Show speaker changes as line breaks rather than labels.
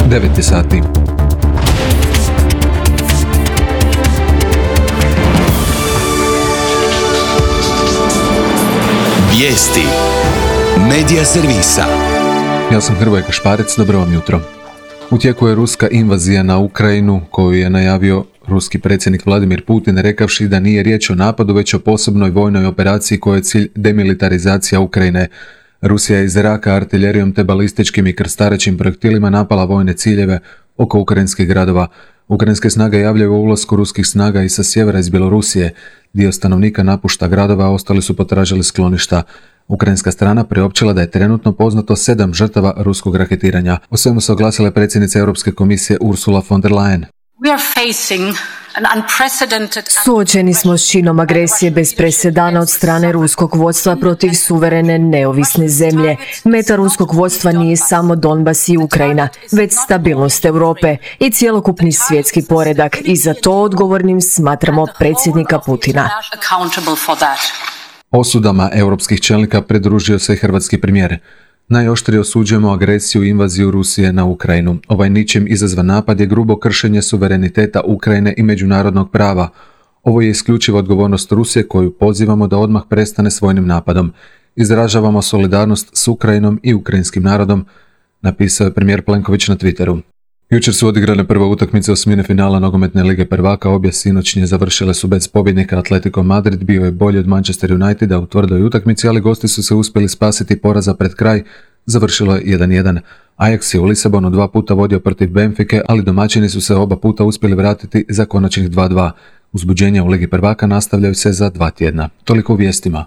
9 sati.
Vijesti Medija servisa.
Ja sam Hrvoje Kašparec, dobro vam jutro. U tijeku je ruska invazija na Ukrajinu, koju je najavio ruski predsjednik Vladimir Putin, rekavši da nije riječ o napadu, već o posebnoj vojnoj operaciji kojoj je cilj demilitarizacija Ukrajine. Rusija je iz zraka, artiljerijom te balističkim i krstarećim projektilima napala vojne ciljeve oko ukrajinskih gradova. Ukrajinske snage javljaju o ulasku ruskih snaga i sa sjevera iz Bjelorusije. Dio stanovnika napušta gradova, a ostali su potražili skloništa. Ukrajinska strana priopćila da je trenutno poznato 7 žrtava ruskog raketiranja. O svemu se oglasila predsjednica Europske komisije Ursula von der Leyen.
Suočeni smo s činom agresije bez presedana od strane ruskog vodstva protiv suverene neovisne zemlje. Meta ruskog vodstva nije samo Donbas i Ukrajina, već stabilnost Europe i cjelokupni svjetski poredak, i za to odgovornim smatramo predsjednika Putina.
Osudama europskih čelnika pridružio se i hrvatski premijer. Najoštrije osuđujemo agresiju i invaziju Rusije na Ukrajinu. Ovaj ničim izazvan napad je grubo kršenje suvereniteta Ukrajine i međunarodnog prava. Ovo je isključiva odgovornost Rusije koju pozivamo da odmah prestane s vojnim napadom. Izražavamo solidarnost s Ukrajinom i ukrajinskim narodom, napisao je premijer Plenković na Twitteru. Jučer su odigrane prve utakmice osmine finala nogometne lige prvaka, obje sinoćnje završile su bez pobjednika. Atletico Madrid bio je bolji od Manchester Uniteda u tvrdoj utakmici, ali gosti su se uspjeli spasiti poraza pred kraj, završilo je 1-1. Ajax je u Lisabonu 2 puta vodio protiv Benfike, ali domaćini su se oba puta uspjeli vratiti za konačnih 2-2. Uzbuđenja u ligi prvaka nastavljaju se za 2 tjedna. Toliko u vijestima.